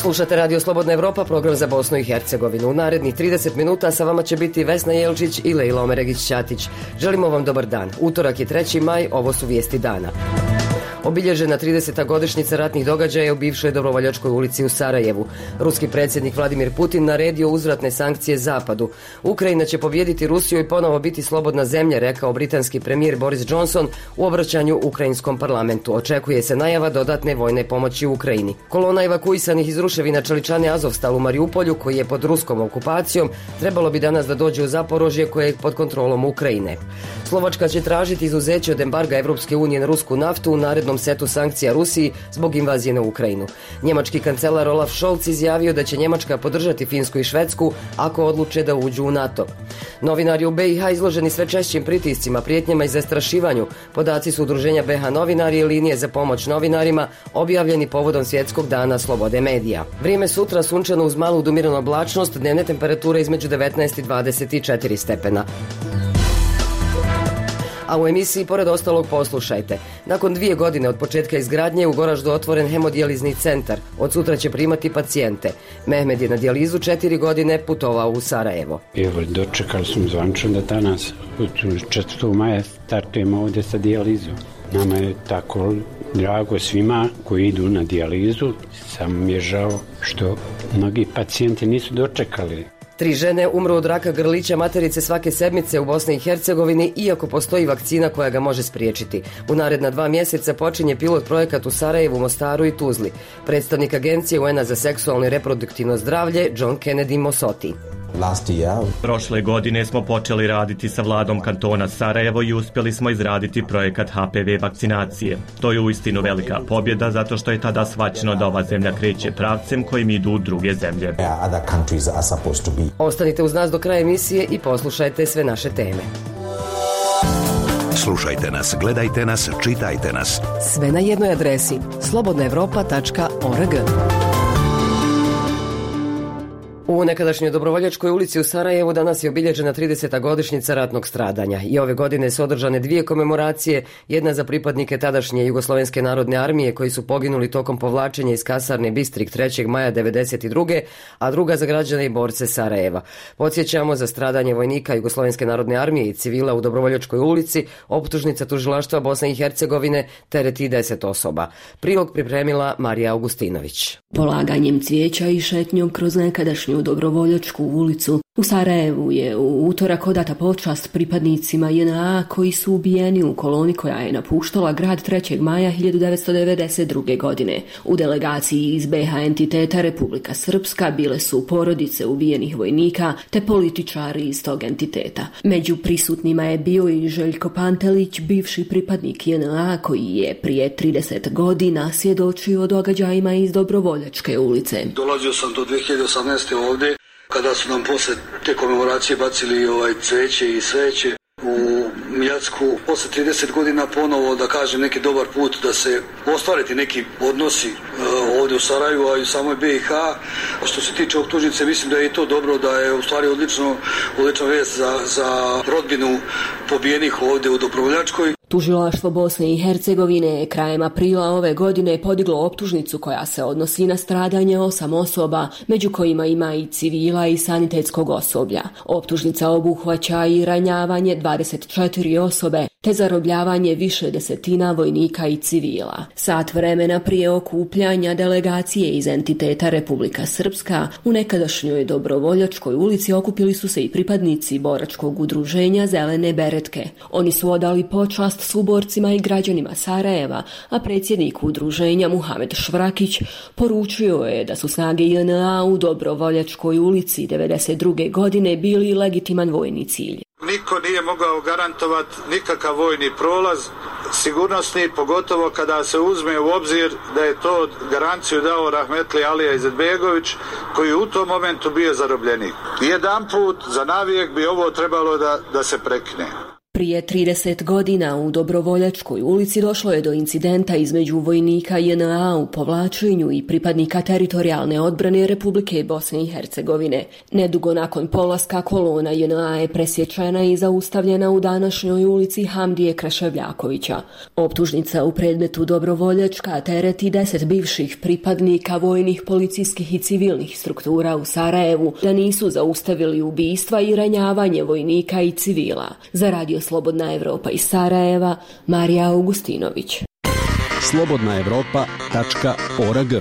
Slušate Radio Slobodna Evropa, program za Bosnu i Hercegovinu. U narednih 30 minuta sa vama će biti Vesna Jelčić i Lejla Omeregić-Ćatić. Želimo vam dobar dan. Utorak je 3. maj, ovo su vijesti dana. Obilježena 30. godišnjica ratnih događaja u bivšoj Dobrovoljačkoj ulici u Sarajevu. Ruski predsjednik Vladimir Putin naredio uzvratne sankcije Zapadu. Ukrajina će pobijediti Rusiju i ponovo biti slobodna zemlja, rekao britanski premijer Boris Johnson u obraćanju ukrajinskom parlamentu. Očekuje se najava dodatne vojne pomoći Ukrajini. Kolona evakuisanih iz ruševina čeličane Azovstal u Mariupolju, koji je pod ruskom okupacijom, trebalo bi danas da dođe u Zaporožje, koje je pod kontrolom Ukrajine. Slovačka će tražiti izuzeće od embarga Evropske unije na rusku naftu u narednom setu sankcija Rusiji zbog invazije na Ukrajinu. Njemački kancelar Olaf Scholz izjavio da će Njemačka podržati Finsku i Švedsku ako odluče da uđu u NATO. Novinari u BiH izloženi sve češćim pritiscima, prijetnjama i zastrašivanju. Podaci su udruženja BiH Novinari i linije za pomoć novinarima objavljeni povodom Svjetskog dana slobode medija. Vrijeme sutra sunčano uz malu umiranu oblačnost, dnevne temperature između 19 i 24 stepena. A u emisiji pored ostalog poslušajte. Nakon 2 godine od početka izgradnje u Goraždu otvoren hemodijalizni centar. Od sutra će primati pacijente. Mehmed je na dijalizu 4 godine putovao u Sarajevo. Evo, dočekali smo zvančno da danas 4. maja startujemo ovdje sa dijalizom. Nama je tako drago svima koji idu na dijalizu. Samo mi je žao što mnogi pacijenti nisu dočekali. 3 žene umru od raka grlića materice svake sedmice u Bosni i Hercegovini, iako postoji vakcina koja ga može spriječiti. U naredna 2 mjeseca počinje pilot projekat u Sarajevu, Mostaru i Tuzli. Predstavnik Agencije UN-a za seksualno i reproduktivno zdravlje John Kennedy Mosoti. Prošle godine smo počeli raditi sa vladom kantona Sarajevo i uspjeli smo izraditi projekat HPV vakcinacije. To je uistinu velika pobjeda zato što je tada shvaćeno da ova zemlja kreće pravcem kojim idu druge zemlje. Ostanite uz nas do kraja emisije i poslušajte sve naše teme. Slušajte nas, gledajte nas, čitajte nas. Sve na jednoj adresi slobodnaevropa.org. U nekadašnjoj Dobrovoljačkoj ulici u Sarajevu danas je obilježena 30. godišnjica ratnog stradanja i ove godine su održane 2 komemoracije, jedna za pripadnike tadašnje Jugoslovenske narodne armije koji su poginuli tokom povlačenja iz kasarne Bistrik 3. maja 1992. a druga za građane i borce Sarajeva. Podsjećamo, za stradanje vojnika Jugoslovenske narodne armije i civila u Dobrovoljačkoj ulici optužnica tužilaštva Bosne i Hercegovine tereti 10 osoba. Prilog pripremila Marija Augustinović. Polaganjem cvijeća i šetnjom kroz nekadašnju Dobrovoljačku ulicu u Sarajevu je u utorak odata počast pripadnicima JNA koji su ubijeni u koloni koja je napuštala grad 3. maja 1992. godine. U delegaciji iz BiH entiteta Republika Srpska bile su porodice ubijenih vojnika te političari iz tog entiteta. Među prisutnima je bio i Željko Pantelić, bivši pripadnik JNA koji je prije 30 godina svjedočio o događajima iz Dobrovoljačke ulice. Dolazio sam do 2018. ovdje, kada su nam posle te komemoracije bacili cveće i sveće u Mljacku. Posle 30 godina ponovo, da kažem, neki dobar put da se ostvariti neki odnosi ovdje u Sarajevu, a i u samoj BiH. Što se tiče optužnice, mislim da je i to dobro, da je u stvari odlična vijest za rodbinu pobijenih ovdje u Dobrovoljačkoj. Tužilaštvo Bosne i Hercegovine je krajem aprila ove godine podiglo optužnicu koja se odnosi na stradanje 8 osoba, među kojima ima i civila i sanitetskog osoblja. Optužnica obuhvaća i ranjavanje 24 osobe, te zarobljavanje više desetina vojnika i civila. Sat vremena prije okupljanja delegacije iz entiteta Republika Srpska u nekadašnjoj Dobrovoljačkoj ulici okupili su se i pripadnici boračkog udruženja Zelene beretke. Oni su odali počast suborcima i građanima Sarajeva, a predsjednik udruženja Muhamed Švrakić poručio je da su snage JNA u Dobrovoljačkoj ulici 1992. godine bili legitiman vojni cilj. Niko nije mogao garantovati nikakav vojni prolaz, sigurnosni, pogotovo kada se uzme u obzir da je to garanciju dao Rahmetli Alija Izetbegović, koji je u tom momentu bio zarobljenik. Jedanput za navijek bi ovo trebalo da se prekine. Prije 30 godina u Dobrovoljačkoj ulici došlo je do incidenta između vojnika JNA u povlačenju i pripadnika teritorijalne odbrane Republike Bosne i Hercegovine. Nedugo nakon polaska kolona JNA je presječena i zaustavljena u današnjoj ulici Hamdije Kreševljakovića. Optužnica u predmetu Dobrovoljačka tereti 10 bivših pripadnika vojnih, policijskih i civilnih struktura u Sarajevu da nisu zaustavili ubistva i ranjavanje vojnika i civila. Za Radio Slobodna Evropa iz Sarajeva, Marija Augustinović. slobodnaevropa.org.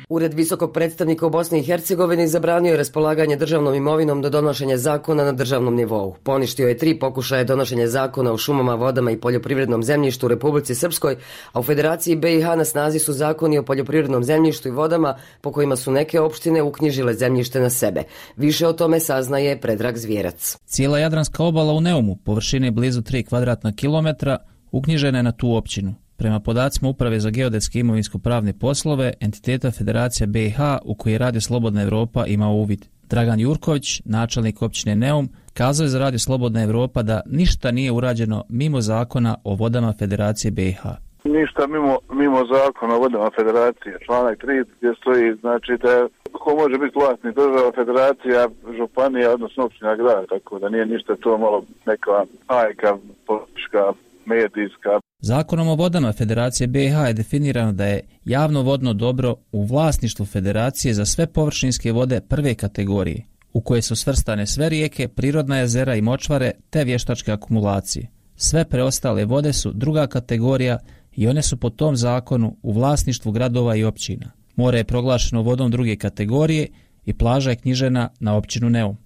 Ured visokog predstavnika u Bosni i Hercegovini zabranio je raspolaganje državnom imovinom do donošenja zakona na državnom nivou. Poništio je 3 pokušaja donošenja zakona o šumama, vodama i poljoprivrednom zemljištu u Republici Srpskoj, a u Federaciji BiH na snazi su zakoni o poljoprivrednom zemljištu i vodama po kojima su neke opštine uknjižile zemljište na sebe. Više o tome saznaje Predrag Zvjerac. Cijela Jadranska obala u Neumu, površine blizu 3 kvadratna kilometra, uknjižena je na tu općinu. Prema podacima Uprave za geodetske i imovinsko-pravne poslove, entiteta Federacija BiH u kojoj Radio Slobodna Evropa ima uvid. Dragan Jurković, načelnik općine Neum, kazao je za Radio Slobodna Evropa da ništa nije urađeno mimo zakona o vodama Federacije BiH. Ništa mimo zakona o vodama Federacije. Članak 3 gdje stoji, znači da ko može biti vlasnik, država, federacija, županija, odnosno općina, grad, tako da nije ništa to malo neka hajka, politička, medijska. Zakonom o vodama Federacije BiH je definirano da je javno vodno dobro u vlasništvu Federacije za sve površinske vode prve kategorije, u koje su svrstane sve rijeke, prirodna jezera i močvare te vještačke akumulacije. Sve preostale vode su druga kategorija i one su po tom zakonu u vlasništvu gradova i općina. More je proglašeno vodom druge kategorije i plaža je knjižena na općinu Neum.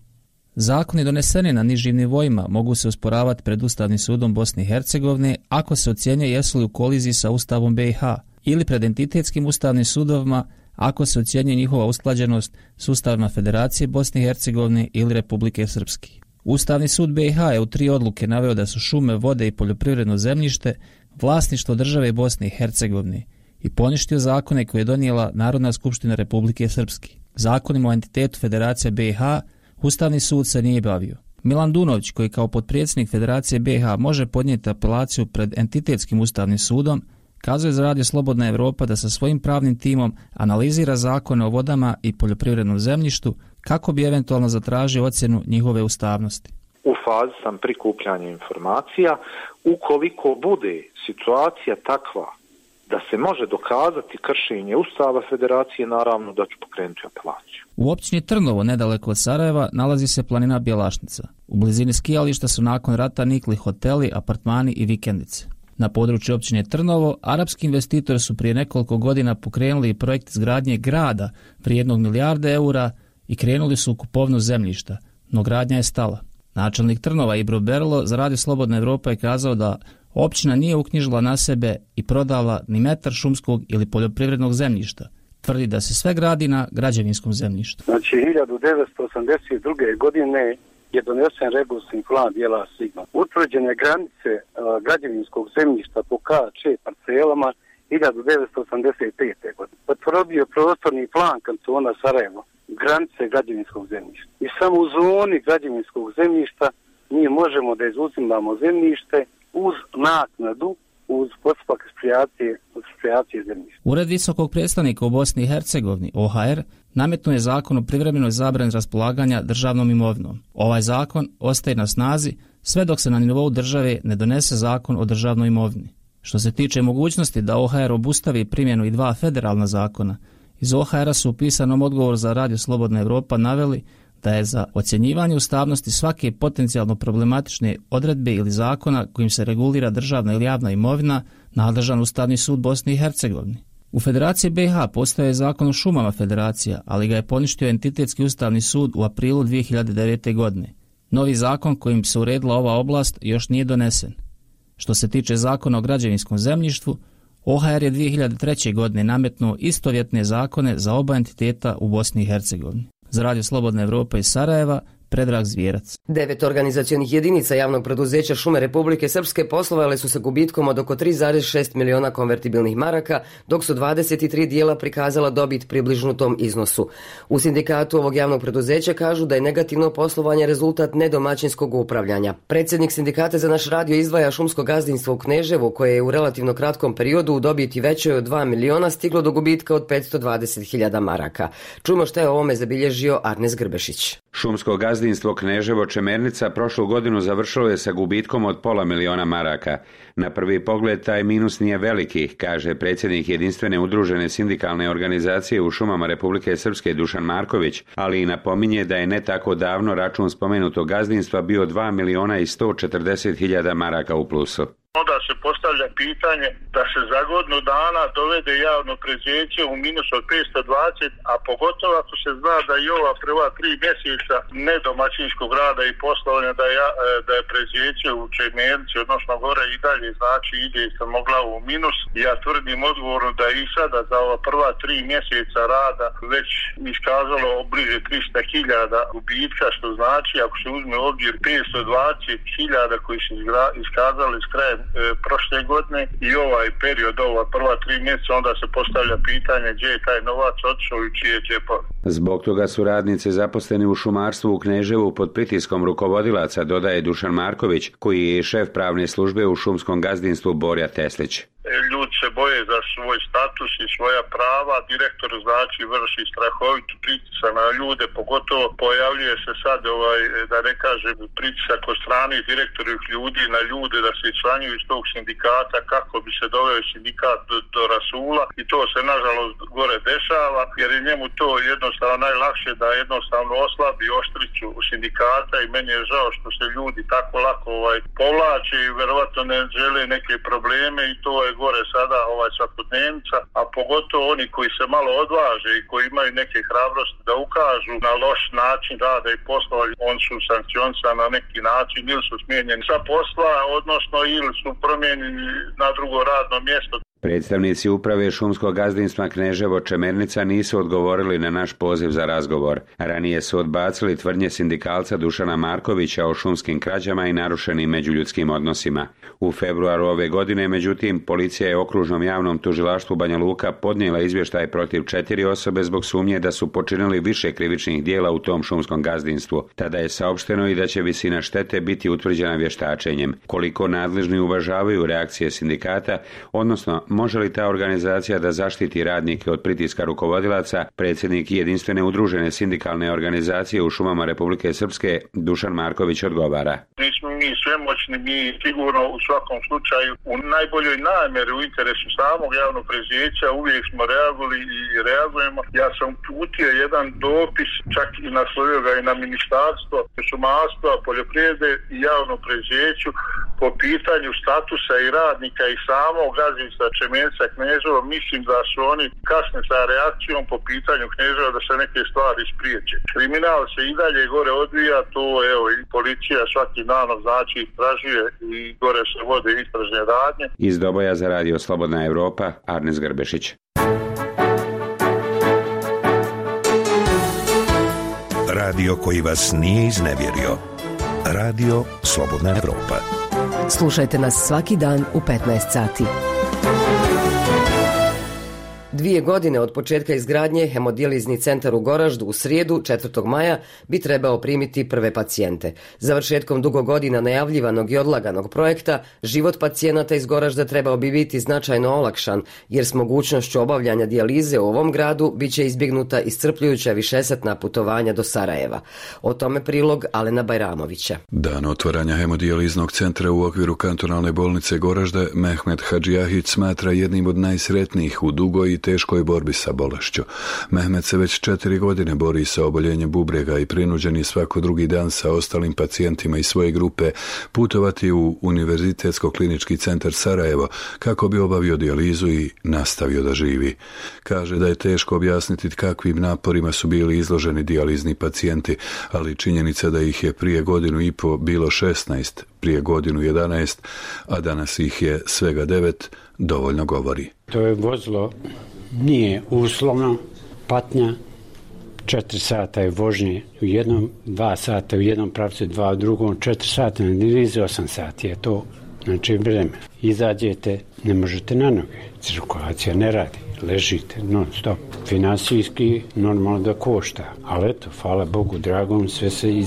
Zakoni doneseni na nižim nivoima mogu se osporavati pred Ustavnim sudom Bosne i Hercegovine ako se ocjenjuje jesu li u koliziji sa Ustavom BiH ili pred entitetskim ustavnim sudovima ako se ocjenjuje njihova usklađenost s Ustavima Federacije Bosne i Hercegovine ili Republike Srpske. Ustavni sud BiH je u 3 odluke naveo da su šume, vode i poljoprivredno zemljište vlasništvo države Bosne i Hercegovine i poništio zakone koje je donijela Narodna skupština Republike Srpske. Zakonima o entitetu Federacije BiH Ustavni sud se nije bavio. Milan Dunović, koji kao potpredsjednik Federacije BiH može podnijeti apelaciju pred entitetskim ustavnim sudom, kazuje za Radio Slobodna Evropa da sa svojim pravnim timom analizira zakone o vodama i poljoprivrednom zemljištu kako bi eventualno zatražio ocjenu njihove ustavnosti. U fazi sam prikupljanja informacija. Ukoliko bude situacija takva da se može dokazati kršenje Ustava Federacije, naravno da ću pokrenuti apelaciju. U općini Trnovo, nedaleko od Sarajeva, nalazi se planina Bjelašnica. U blizini skijališta su nakon rata nikli hoteli, apartmani i vikendice. Na području općine Trnovo, arapski investitori su prije nekoliko godina pokrenuli projekt izgradnje grada vrijednog €1 milijarde i krenuli su u kupovinu zemljišta, no gradnja je stala. Načelnik Trnova Ibro Berlo za Radio Slobodna Evropa je kazao da općina nije uknjižila na sebe i prodala ni metar šumskog ili poljoprivrednog zemljišta. Tvrdi da se sve gradi na građevinskom zemljištu. Znači 1982. godine je donesen regularni plan dijela Sigma. Utvrđene granice građevinskog zemljišta po K4 parcelama 1985. godine. Potvrdio prostorni plan kantona Sarajevo, granice građevinskog zemljišta. I samo u zoni građevinskog zemljišta mi možemo da izuzimamo zemljište uz naknadu, uz postupak eksproprijacije zemljišta. Ured visokog predstavnika u Bosni i Hercegovini, OHR, nametnuo je zakon o privremenoj zabrani raspolaganja državnom imovinom. Ovaj zakon ostaje na snazi sve dok se na nivou države ne donese zakon o državnoj imovini. Što se tiče mogućnosti da OHR obustavi primjenu i 2 federalna zakona, iz OHR-a su u pisanom odgovoru za Radio Slobodna Evropa naveli da je za ocjenjivanje ustavnosti svake potencijalno problematične odredbe ili zakona kojim se regulira državna ili javna imovina nadležan Ustavni sud Bosne i Hercegovine. U Federaciji BiH postoje zakon o šumama Federacija, ali ga je poništio entitetski Ustavni sud u aprilu 2009. godine. Novi zakon kojim se uredila ova oblast još nije donesen. Što se tiče zakona o građevinskom zemljištu, OHR je 2003. godine nametnuo istovjetne zakone za oba entiteta u Bosni i Hercegovini. Za Radio Slobodna Evropa iz Sarajeva, Predrag Zvijerac. 9 organizacionih jedinica javnog preduzeća Šume Republike Srpske poslovale su sa gubitkom od oko 3,6 miliona konvertibilnih maraka, dok su 23 dijela prikazala dobit približno tom iznosu. U sindikatu ovog javnog preduzeća kažu da je negativno poslovanje rezultat nedomaćinskog upravljanja. Predsjednik sindikata za naš radio izdvaja šumsko gazdinstvo u Kneževu, koje je u relativno kratkom periodu u dobiti većoj od 2 miliona stiglo do gubitka od 520.000 maraka. Čujmo što je o ovome zabilježio Arnes Grbešić. Šumsko gazdinstvo Kneževo Čemernica prošlu godinu završilo je sa gubitkom od pola miliona maraka. Na prvi pogled taj minus nije veliki, kaže predsjednik jedinstvene udružene sindikalne organizacije u šumama Republike Srpske Dušan Marković, ali i napominje da je ne tako davno račun spomenutog gazdinstva bio 2.140.000 maraka u plusu. Onda se postavlja pitanje da se za godinu dana dovede javno preduzeće u minus od 520, a pogotovo ako se zna da i ova prva 3 mjeseca nedomaćinskog rada i poslovanja da je preduzeće u Čemernici, odnosno gore i dalje, znači ide sa mogla u minus. Ja tvrdim odgovorno da i sada za ova prva 3 mjeseca rada već iskazalo bliže 300.000 gubitka, što znači ako se uzme obzir 520.000 koji su iskazali s krajem prošle godine i ovaj period, ova prva 3 mjeseca, onda se postavlja pitanje gdje je taj novac otišao i čije džepove. Zbog toga su radnice zaposleni u šumarstvu u Kneževu pod pritiskom rukovodilaca, dodaje Dušan Marković, koji je šef pravne službe u šumskom gazdinstvu Borja Teslić. Ljudi se boje za svoj status i svoja prava, direktor znači vrši strahovitu pritisak na ljude, pogotovo pojavljuje se sad da ne kažem pritisak od strane direktorih ljudi na ljude da se članjuju iz tog sindikata kako bi se doveo sindikat do rasula i to se nažalost gore dešava jer je njemu to jednostavno najlakše da jednostavno oslabi oštricu sindikata i meni je žao što se ljudi tako lako povlače i verovatno ne žele neke probleme i to je gore sada svakodnevnica, a pogotovo oni koji se malo odvaže i koji imaju neke hrabrosti da ukažu na loš način rada i posla, oni su sankcionisani na neki način ili su smijenjeni sa posla, odnosno ili su promijenjeni na drugo radno mjesto. Predstavnici uprave šumskog gazdinstva Kneževo Čemernica nisu odgovorili na naš poziv za razgovor. Ranije su odbacili tvrdnje sindikalca Dušana Markovića o šumskim krađama i narušenim međuljudskim odnosima. U februaru ove godine, međutim, policija je okružnom javnom tužilaštvu Banja Luka podnijela izvještaj protiv 4 osobe zbog sumnje da su počinili više krivičnih dijela u tom šumskom gazdinstvu. Tada je saopšteno i da će visina štete biti utvrđena vještačenjem. Koliko nadležni uvažavaju reakcije sindikata, odnosno može li ta organizacija da zaštiti radnike od pritiska rukovodilaca, predsjednik jedinstvene udružene sindikalne organizacije u šumama Republike Srpske Dušan Marković odgovara. Nismo mi svemoćni, mi sigurno u svakom slučaju u najboljoj namjeri u interesu samog javnog preduzeća uvijek smo reagovali i reagujemo. Ja sam uputio jedan dopis, čak i naslovio ga i na ministarstvo šumarstva, poljoprivrede i javnom preduzeću po pitanju statusa i radnika i samog gazdinstva Čemernica Kneževo. Mislim da su oni kasne sa reakcijom po pitanju Kneževa da se neke stvari spriječe. Kriminal se i dalje gore odvija, to i policija svaki dan znači istražuje i gore se vode istražne radnje. Iz Doboja za radio Slobodna Evropa, Arnes Grbešić. Radio koji vas nije iznevjerio. Radio Slobodna Evropa. Slušajte nas svaki dan u 15 sati. 2 godine od početka izgradnje hemodijalizni centar u Goraždu u srijedu 4. maja bi trebao primiti prve pacijente. Završetkom dugo godina najavljivanog i odlaganog projekta, život pacijenata iz Goražda trebao bi biti značajno olakšan, jer s mogućnošću obavljanja dijalize u ovom gradu bit će izbjegnuta iscrpljujuća višesatna putovanja do Sarajeva. O tome prilog Alena Bajramovića. Dan otvaranja hemodijaliznog centra u okviru kantonalne bolnice Goražda Mehmet Hadžijahić smatra jednim od najsretnijih u dugoj i teškoj borbi sa bolešću. Mehmet se već 4 godine bori sa oboljenjem bubrega i prinuđen je svako drugi dan sa ostalim pacijentima iz svoje grupe putovati u Univerzitetsko-klinički centar Sarajevo kako bi obavio dijalizu i nastavio da živi. Kaže da je teško objasniti kakvim naporima su bili izloženi dijalizni pacijenti, ali činjenica da ih je prije 1.5 godine bilo 16, prije 1 godinu 11, a danas ih je svega 9, dovoljno govori. To je vozilo nije uslovno, patnja, 4 sata je vožnje u jednom, 2 sata u jednom pravcu, 2 u drugom, 4 sata na dijalizi, 8 sati je to, znači vreme. Izađete, ne možete na noge, cirkulacija ne radi, ležite non stop. Finansijski normalno da košta, ali eto, hvala Bogu dragom, sve se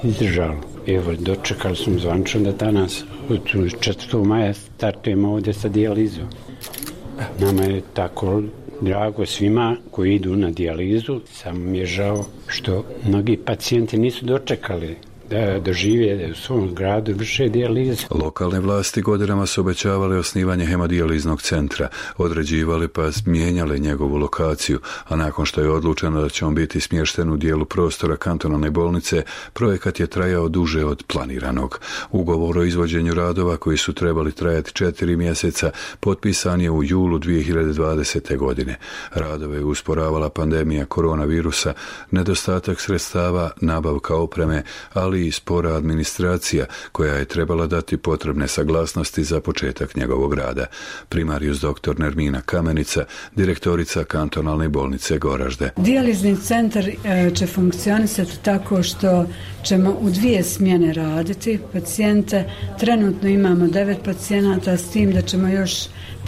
izdržalo. Evo, dočekali smo zvančno da danas, 4. maja, startujemo ovdje sa dijalizom. Nama je tako drago svima koji idu na dijalizu, samo mi je žao što mnogi pacijenti nisu dočekali da dožive u svom gradu vrše dijalizu. Lokalne vlasti godinama su obećavale osnivanje hemodijaliznog centra, određivali pa mijenjali njegovu lokaciju, a nakon što je odlučeno da će on biti smješten u dijelu prostora kantonalne bolnice, projekat je trajao duže od planiranog. Ugovor o izvođenju radova koji su trebali trajati 4 mjeseca potpisan je u julu 2020. godine. Radove je usporavala pandemija koronavirusa, nedostatak sredstava, nabavka opreme, ali i spora administracija koja je trebala dati potrebne saglasnosti za početak njegovog rada. Primarius dr. Nermina Kamenica, direktorica kantonalne bolnice Goražde. Dijalizni centar će funkcionisati tako što ćemo u 2 smjene raditi pacijente. Trenutno imamo 9 pacijenata, s tim da ćemo još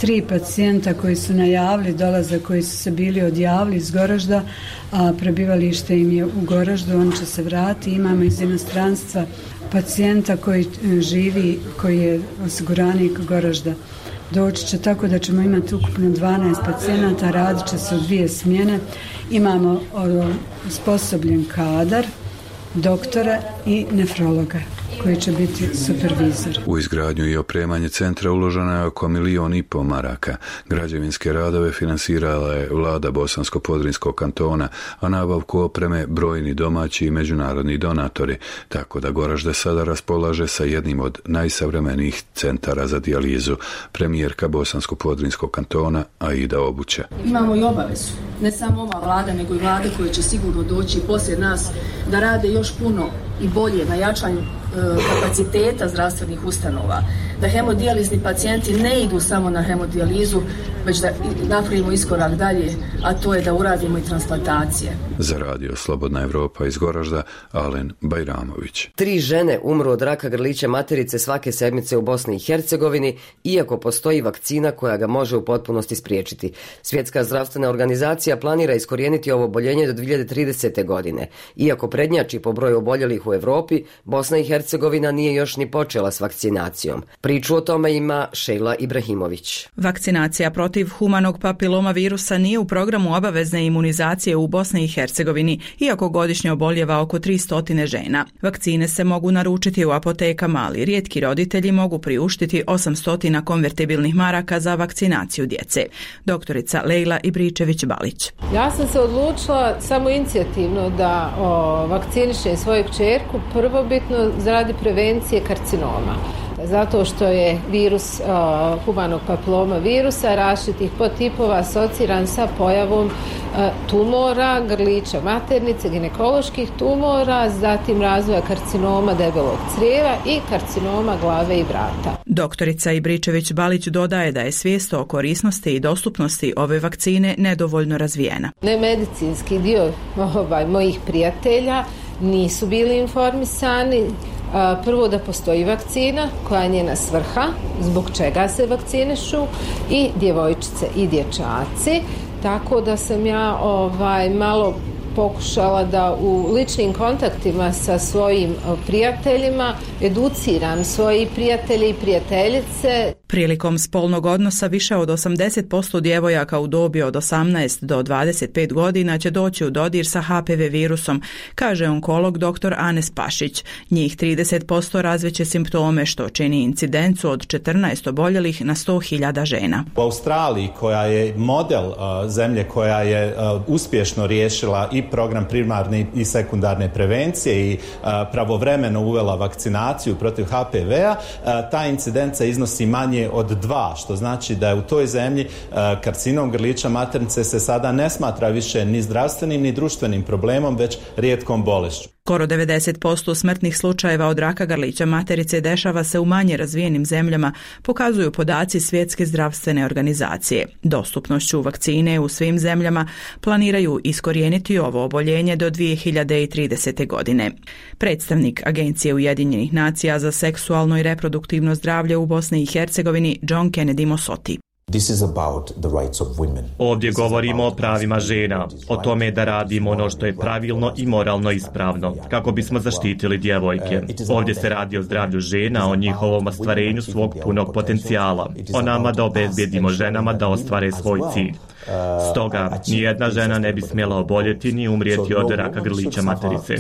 3 pacijenta koji su najavili dolaze, koji su se bili odjavili iz Goražda, a prebivalište im je u Goraždu, on će se vratiti. Imamo iz inostranstva pacijenta koji živi, koji je osiguranik Goražda. Doći će tako da ćemo imati ukupno 12 pacijenata, radit će se u 2 smjene. Imamo osposobljen kadar, doktora i nefrologa koji će biti supervizor. U izgradnju i opremanje centra uloženo je oko 1,5 milijuna maraka. Građevinske radove finansirala je vlada Bosansko-Podrinskog kantona, a nabavku opreme brojni domaći i međunarodni donatori, tako da Goražde sada raspolaže sa jednim od najsavremenijih centara za dijalizu. Premijerka Bosansko-Podrinskog kantona Aida Obuća. Imamo i obavezu, ne samo ova vlada, nego i vlade koje će sigurno doći poslije nas, da rade još puno i bolje na jačanju kapaciteta zdravstvenih ustanova, da hemodijalizni pacijenti ne idu samo na hemodijalizu, već da napravimo iskorak dalje, a to je da uradimo i transplantacije. Za radio Slobodna Evropa iz Goražda, Alen Bajramović. 3 žene umru od raka grlića materice svake sedmice u Bosni i Hercegovini, iako postoji vakcina koja ga može u potpunosti spriječiti. Svjetska zdravstvena organizacija planira iskorijeniti ovo oboljenje do 2030. godine. Iako prednjači po broju oboljelih u Europi, Bosna i Hercegovina nije još ni počela s vakcinacijom. Priču o tome ima Šejla Ibrahimović. Vakcinacija protiv humanog papiloma virusa nije u programu obavezne imunizacije u Bosni i Hercegovini, iako godišnje oboljeva oko 300 žena. Vakcine se mogu naručiti u apotekama, ali rijetki roditelji mogu priuštiti 800 konvertibilnih maraka za vakcinaciju djece. Doktorica Lejla Ibričević-Balić. Ja sam se odlučila samo inicijativno da vakcinišem svoju kćerku prvobitno radi prevencije karcinoma. Zato što je virus humanog papiloma virusa različitih podtipova asociran sa pojavom tumora, grlića maternice, ginekoloških tumora, zatim razvoja karcinoma debelog crijeva i karcinoma glave i vrata. Doktorica Ibričević-Balić dodaje da je svijest o korisnosti i dostupnosti ove vakcine nedovoljno razvijena. Nemedicinski dio mojih prijatelja nisu bili informisani. Prvo da postoji vakcina koja je njena svrha, zbog čega se vakcinišu i djevojčice i dječaci, tako da sam ja malo pokušala da u ličnim kontaktima sa svojim prijateljima educiram svoje prijatelje i prijateljice. Prilikom spolnog odnosa više od 80% djevojaka u dobi od 18 do 25 godina će doći u dodir sa HPV virusom, kaže onkolog dr. Anes Pašić. Njih 30% razveće simptome, što čini incidencu od 14 oboljelih na 100.000 žena. U Australiji, koja je model zemlje koja je uspješno riješila i program primarne i sekundarne prevencije i pravovremeno uvela vakcinaciju protiv HPV-a, ta incidenca iznosi manje od 2, što znači da je u toj zemlji karcinom grlića maternice se sada ne smatra više ni zdravstvenim ni društvenim problemom, već rijetkom bolešću. Skoro 90% smrtnih slučajeva od raka grlića materice dešava se u manje razvijenim zemljama, pokazuju podaci Svjetske zdravstvene organizacije. Dostupnošću vakcine u svim zemljama planiraju iskorijeniti ovo oboljenje do 2030. godine. Predstavnik Agencije Ujedinjenih nacija za seksualno i reproduktivno zdravlje u Bosni i Hercegovini John Kennedy Mosoti. Ovdje govorimo o pravima žena, o tome da radimo ono što je pravilno i moralno ispravno, kako bismo zaštitili djevojke. Ovdje se radi o zdravlju žena, o njihovom ostvarenju svog punog potencijala, o nama da obezbijedimo ženama da ostvare svoj cilj. Stoga, nijedna žena ne bi smjela oboljeti ni umrijeti od raka grlića materice.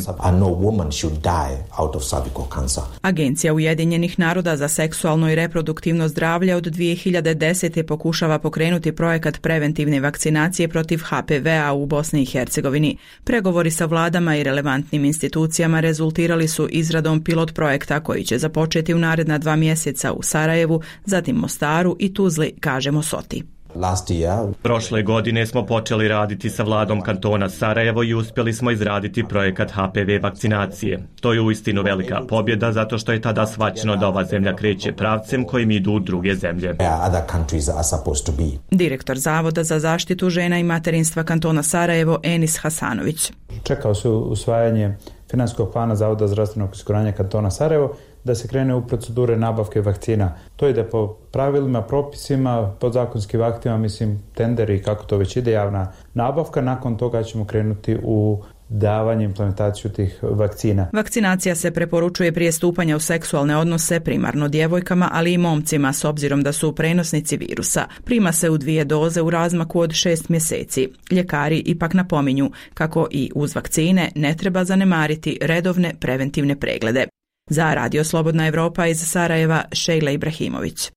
Agencija Ujedinjenih naroda za seksualno i reproduktivno zdravlje od 2010. pokušava pokrenuti projekat preventivne vakcinacije protiv HPV-a u Bosni i Hercegovini. Pregovori sa vladama i relevantnim institucijama rezultirali su izradom pilot projekta koji će započeti u naredna 2 mjeseca u Sarajevu, zatim Mostaru i Tuzli, kaže Mosoti. Prošle godine smo počeli raditi sa vladom kantona Sarajevo i uspjeli smo izraditi projekat HPV vakcinacije. To je uistinu velika pobjeda zato što je tada shvaćeno da ova zemlja kreće pravcem kojim idu druge zemlje. Direktor Zavoda za zaštitu žena i materinstva kantona Sarajevo Enis Hasanović. Čekao se usvajanje financijskog plana Zavoda zdravstvenog osiguranja kantona Sarajevo da se krene u procedure nabavke vakcina. To ide po pravilima, propisima, podzakonskim aktima, mislim, tenderi, kako to već ide, javna nabavka. Nakon toga ćemo krenuti u davanje, implementaciju tih vakcina. Vakcinacija se preporučuje prije stupanja u seksualne odnose primarno djevojkama, ali i momcima s obzirom da su prenosnici virusa. Prima se u 2 doze u razmaku od 6 mjeseci. Ljekari ipak napominju kako i uz vakcine ne treba zanemariti redovne preventivne preglede. Za Radio Slobodna Evropa iz Sarajeva, Šejla Ibrahimović.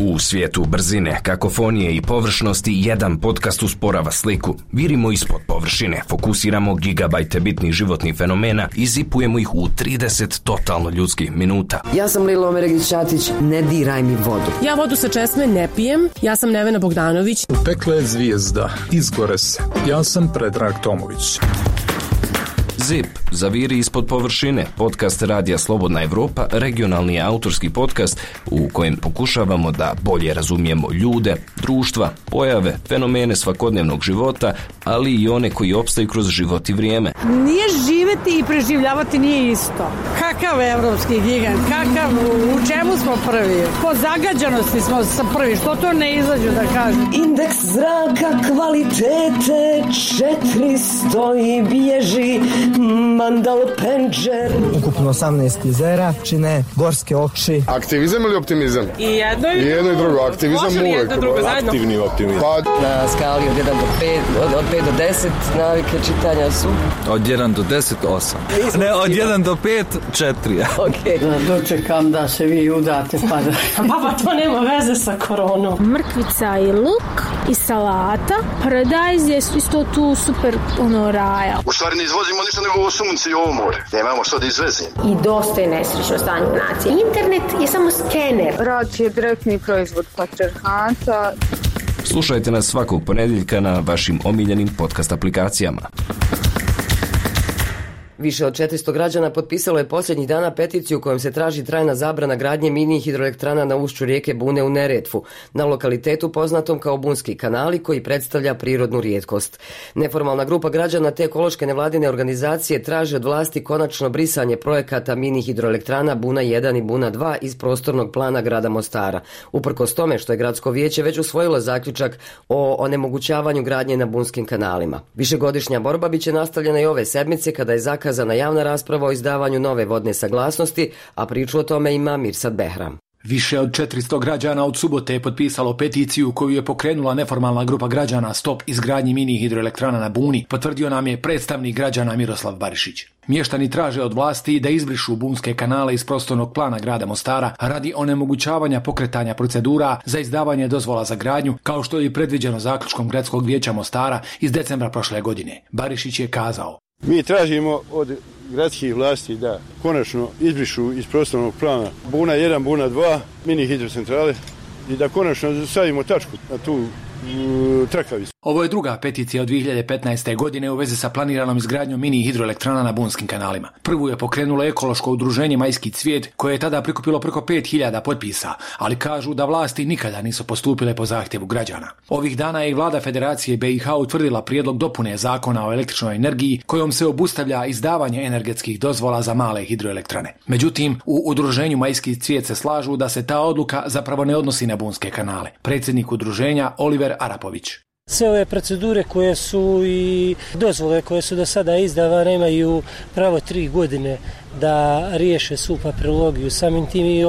U svijetu brzine, kakofonije i površnosti jedan podcast usporava sliku. Virimo ispod površine, fokusiramo gigabajte bitnih životnih fenomena i zipujemo ih u 30 totalno ljudskih minuta. Ja sam Lila Omeregić-Ćatić, ne diraj mi vodu. Ja vodu sa česme ne pijem, ja sam Nevena Bogdanović. Pekla je zvijezda, izgore se. Ja sam Predrag Tomović. ZIP, zaviri ispod površine, podcast Radija Slobodna Evropa, regionalni autorski podcast u kojem pokušavamo da bolje razumijemo ljude, društva, pojave, fenomene svakodnevnog života, ali i one koji opstaju kroz život i vrijeme. Nije živjeti i preživljavati nije isto. Kakav evropski gigant, kakav, u čemu smo prvi? Po zagađanosti smo prvi, što to ne izađu da kažem? Indeks zraka kvalitete 400 i bježi Mandal Penđer. Ukupno 18 jezera čine gorske oči. Aktivizam ili optimizam? I jedno i drugo. Aktivizam uvijek. Aktivni optimizam. Na skali od 1 do 5, od 5 do 10 navike čitanja su? Od 1 do 10, 8. Ne, od 1 do 5, 4. Okay. Dočekam da se vi udate pa da... Baba, to nema veze sa koronom. Mrkvica i luk i salata. Paradajz je isto tu super raja. U stvari ne izvozimo ništa nego ovo sunce i ovo more. Nemamo što da izvezimo. I dosta je nesrećno stanje nacije. Internet je samo skener. Rat je direktni proizvod patrijarhata. Slušajte nas svakog ponedjeljka na vašim omiljenim podcast aplikacijama. Više od 400 građana potpisalo je posljednjih dana peticiju kojom se traži trajna zabrana gradnje mini hidroelektrana na ušću rijeke Bune u Neretvu, na lokalitetu poznatom kao Bunski kanali koji predstavlja prirodnu rijetkost. Neformalna grupa građana te ekološke nevladine organizacije traže od vlasti konačno brisanje projekata mini hidroelektrana Buna 1 i Buna 2 iz prostornog plana grada Mostara, uprkos tome što je gradsko vijeće već usvojilo zaključak o onemogućavanju gradnje na bunskim kanalima. Višegodišnja borba biće nastavljena i ove sedmice kada je zakazana javna rasprava o izdavanju nove vodne saglasnosti, a priču o tome ima Mirsad Behram. Više od 400 građana od subote je potpisalo peticiju koju je pokrenula neformalna grupa građana Stop izgradnji mini hidroelektrana na Buni, potvrdio nam je predstavnik građana Miroslav Barišić. Mještani traže od vlasti da izbrišu bunske kanale iz prostornog plana grada Mostara radi onemogućavanja pokretanja procedura za izdavanje dozvola za gradnju, kao što je i predviđeno zaključkom gradskog vijeća Mostara iz decembra prošle godine. Barišić je kazao: Mi tražimo od gradskih vlasti da konačno izbrišu iz prostornog plana Buna 1, Buna 2, mini hidrocentrale i da konačno stavimo tačku na tu trakavicu. Ovo je druga peticija od 2015. godine u vezi sa planiranom izgradnjom mini hidroelektrana na bunskim kanalima. Prvu je pokrenulo ekološko udruženje Majski cvijet koje je tada prikupilo preko 5000 potpisa, ali kažu da vlasti nikada nisu postupile po zahtjevu građana. Ovih dana je i vlada Federacije BiH utvrdila prijedlog dopune zakona o električnoj energiji kojom se obustavlja izdavanje energetskih dozvola za male hidroelektrane. Međutim, u udruženju Majski cvijet se slažu da se ta odluka zapravo ne odnosi na bunske kanale. Predsjednik udruženja Oliver Arapović. Sve ove procedure koje su i dozvole koje su do sada izdavane imaju pravo 3 godine da riješe svu papirologiju. Samim tim i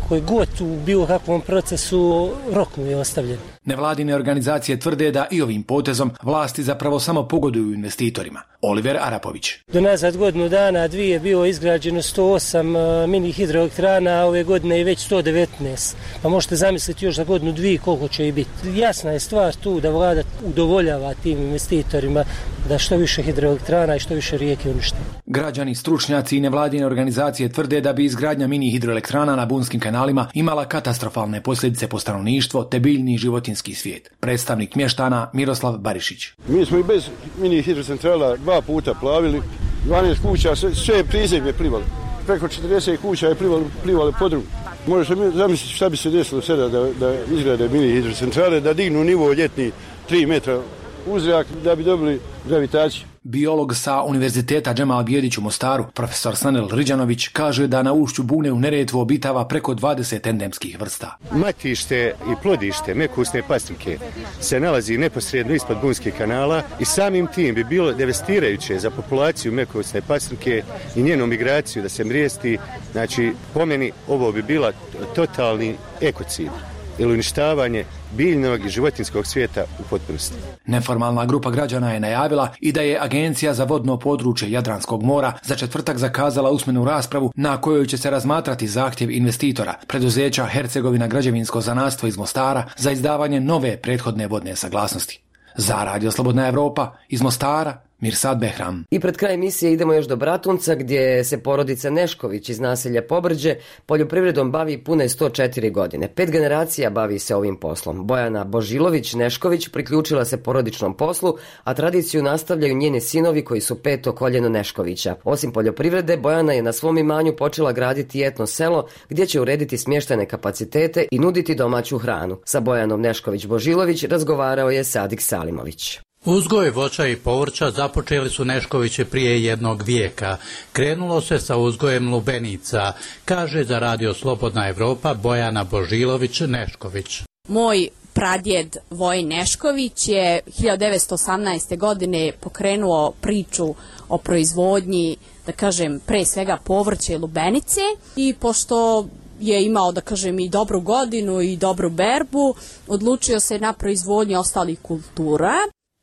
koji god u bilo kakvom procesu rok mu je ostavljen. Nevladine organizacije tvrde da i ovim potezom vlasti zapravo samo pogoduju investitorima. Oliver Arapović. Do nazad godinu dana, dvije je bilo izgrađeno 108 mini hidroelektrana, a ove godine je već 119. Pa možete zamisliti još za godinu dvije koliko će i biti. Jasna je stvar tu da vlada udovoljava tim investitorima da što više hidroelektrana i što više rijeke unište. Građani, stručnjaci i nevladine organizacije tvrde da bi izgradnja mini hidroelektrana na bunskim kanalima imala katastrofalne posljedice po stanovništvo te biljni životinjski svijet. Predstavnik mještana Miroslav Barišić. Mi smo i bez mini hidrocentrala 2 puta plavili, 12 kuća, sve prizemlje plivali. Preko 40 kuća je plivali podrum. Možete zamisliti šta bi se desilo sada da izgrade mini hidrocentrale, da dignu nivo ljetni 3 metra u zrak da bi dobili gravitaciju. Biolog sa Univerziteta Džemal Bijedić u Mostaru, profesor Sanel Riđanović, kaže da na ušću Bune u Neretvu obitava preko 20 endemskih vrsta. Matište i plodište mekusne pastrike se nalazi neposredno ispod Bunskih kanala i samim tim bi bilo devastirajuće za populaciju mekusne pastrike i njenu migraciju da se mrijesti. Znači, po meni ovo bi bila totalni ekocid ili uništavanje biljnog i životinjskog svijeta u potpunosti. Neformalna grupa građana je najavila i da je Agencija za vodno područje Jadranskog mora za četvrtak zakazala usmenu raspravu na kojoj će se razmatrati zahtjev investitora, preduzeća Hercegovina građevinsko zanatstvo iz Mostara, za izdavanje nove prethodne vodne saglasnosti. Za Radio Slobodna Evropa iz Mostara, Mirsad Behram. I pred kraj emisije idemo još do Bratunca gdje se porodica Nešković iz naselja Pobrđe poljoprivredom bavi pune 104 godine. 5 generacija bavi se ovim poslom. Bojana Božilović-Nešković priključila se porodičnom poslu, a tradiciju nastavljaju njeni sinovi koji su 5. koljeno Neškovića. Osim poljoprivrede, Bojana je na svom imanju počela graditi etno selo gdje će urediti smještajne kapacitete i nuditi domaću hranu. Sa Bojanom Nešković-Božilović razgovarao je Sadik Salimović. Uzgoj voća i povrća započeli su Neškovići prije jednog vijeka. Krenulo se sa uzgojem lubenica, kaže za Radio Slobodna Evropa Bojana Božilović-Nešković. Moj pradjed Vojin Nešković je 1918. godine pokrenuo priču o proizvodnji, da kažem, pre svega povrće i lubenice, i pošto je imao, da kažem, i dobru godinu i dobru berbu, odlučio se na proizvodnju ostalih kultura.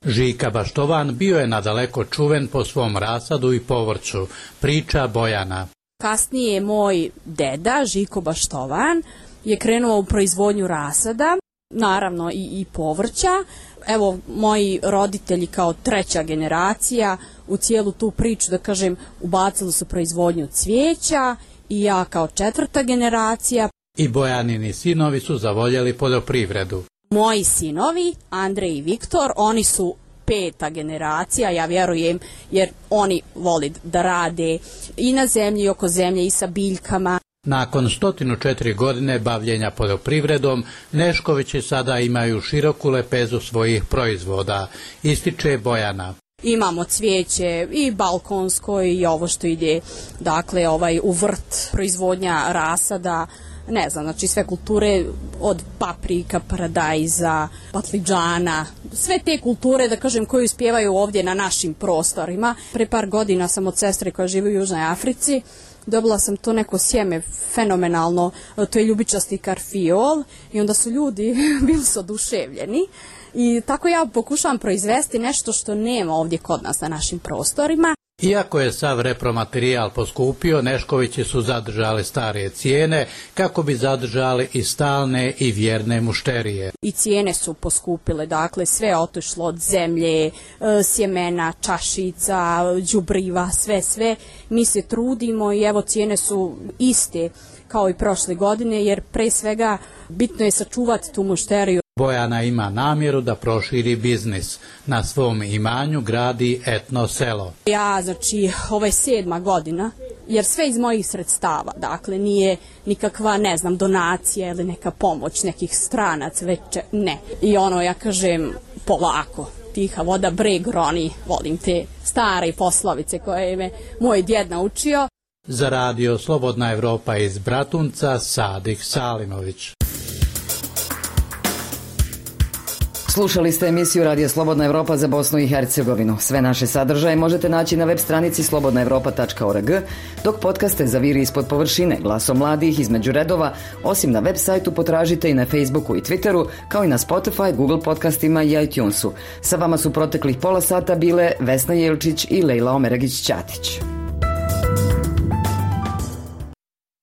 Žika Baštovan bio je nadaleko čuven po svom rasadu i povrću, priča Bojana. Kasnije moj deda, Žiko Baštovan, je krenuo u proizvodnju rasada, naravno i povrća. Evo, moji roditelji kao 3. generacija u cijelu tu priču, da kažem, ubacili su proizvodnju cvijeća i ja kao 4. generacija. I Bojanini sinovi su zavoljeli poljoprivredu. Moji sinovi, Andrej i Viktor, oni su 5. generacija, ja vjerujem, jer oni vole da rade i na zemlji, i oko zemlje, i sa biljkama. Nakon 104 godine bavljenja poljoprivredom, Neškovići sada imaju široku lepezu svojih proizvoda, ističe Bojana. Imamo cvijeće i balkonsko i ovo što ide, dakle, u vrt, proizvodnja rasada, ne znam, znači sve kulture od paprika, paradajza, patliđana, sve te kulture, da kažem, koje uspijevaju ovdje na našim prostorima. Pre par godina sam od sestre koja živi u Južnoj Africi dobila sam to neko sjeme fenomenalno, to je ljubičasti karfiol, i onda su ljudi bili su oduševljeni. I tako ja pokušavam proizvesti nešto što nema ovdje kod nas na našim prostorima. Iako je sav repromaterijal poskupio, Neškovići su zadržali starije cijene kako bi zadržali i stalne i vjerne mušterije. I cijene su poskupile, dakle sve je otišlo od zemlje, sjemena, čašica, đubriva, sve. Mi se trudimo i evo cijene su iste kao i prošle godine, jer pre svega bitno je sačuvati tu mušteriju. Bojana ima namjeru da proširi biznis. Na svom imanju gradi etno selo. Ja, znači, ovo je 7. godina, jer sve iz mojih sredstava, dakle, nije nikakva, ne znam, donacija ili neka pomoć nekih stranaca, već ne. I ja kažem, polako, tiha voda breg roni, volim te stare poslovice koje me moj djed naučio. Za radio Slobodna Evropa iz Bratunca, Sadik Salimović. Slušali ste emisiju Radija Slobodna Evropa za Bosnu i Hercegovinu. Sve naše sadržaje možete naći na web stranici slobodnaevropa.org, dok podcaste Zaviri ispod površine, Glasom mladih, Između redova, osim na web sajtu potražite i na Facebooku i Twitteru, kao i na Spotify, Google podcastima i iTunesu. Sa vama su proteklih pola sata bile Vesna Jelčić i Lejla Omeragić-Ćatić.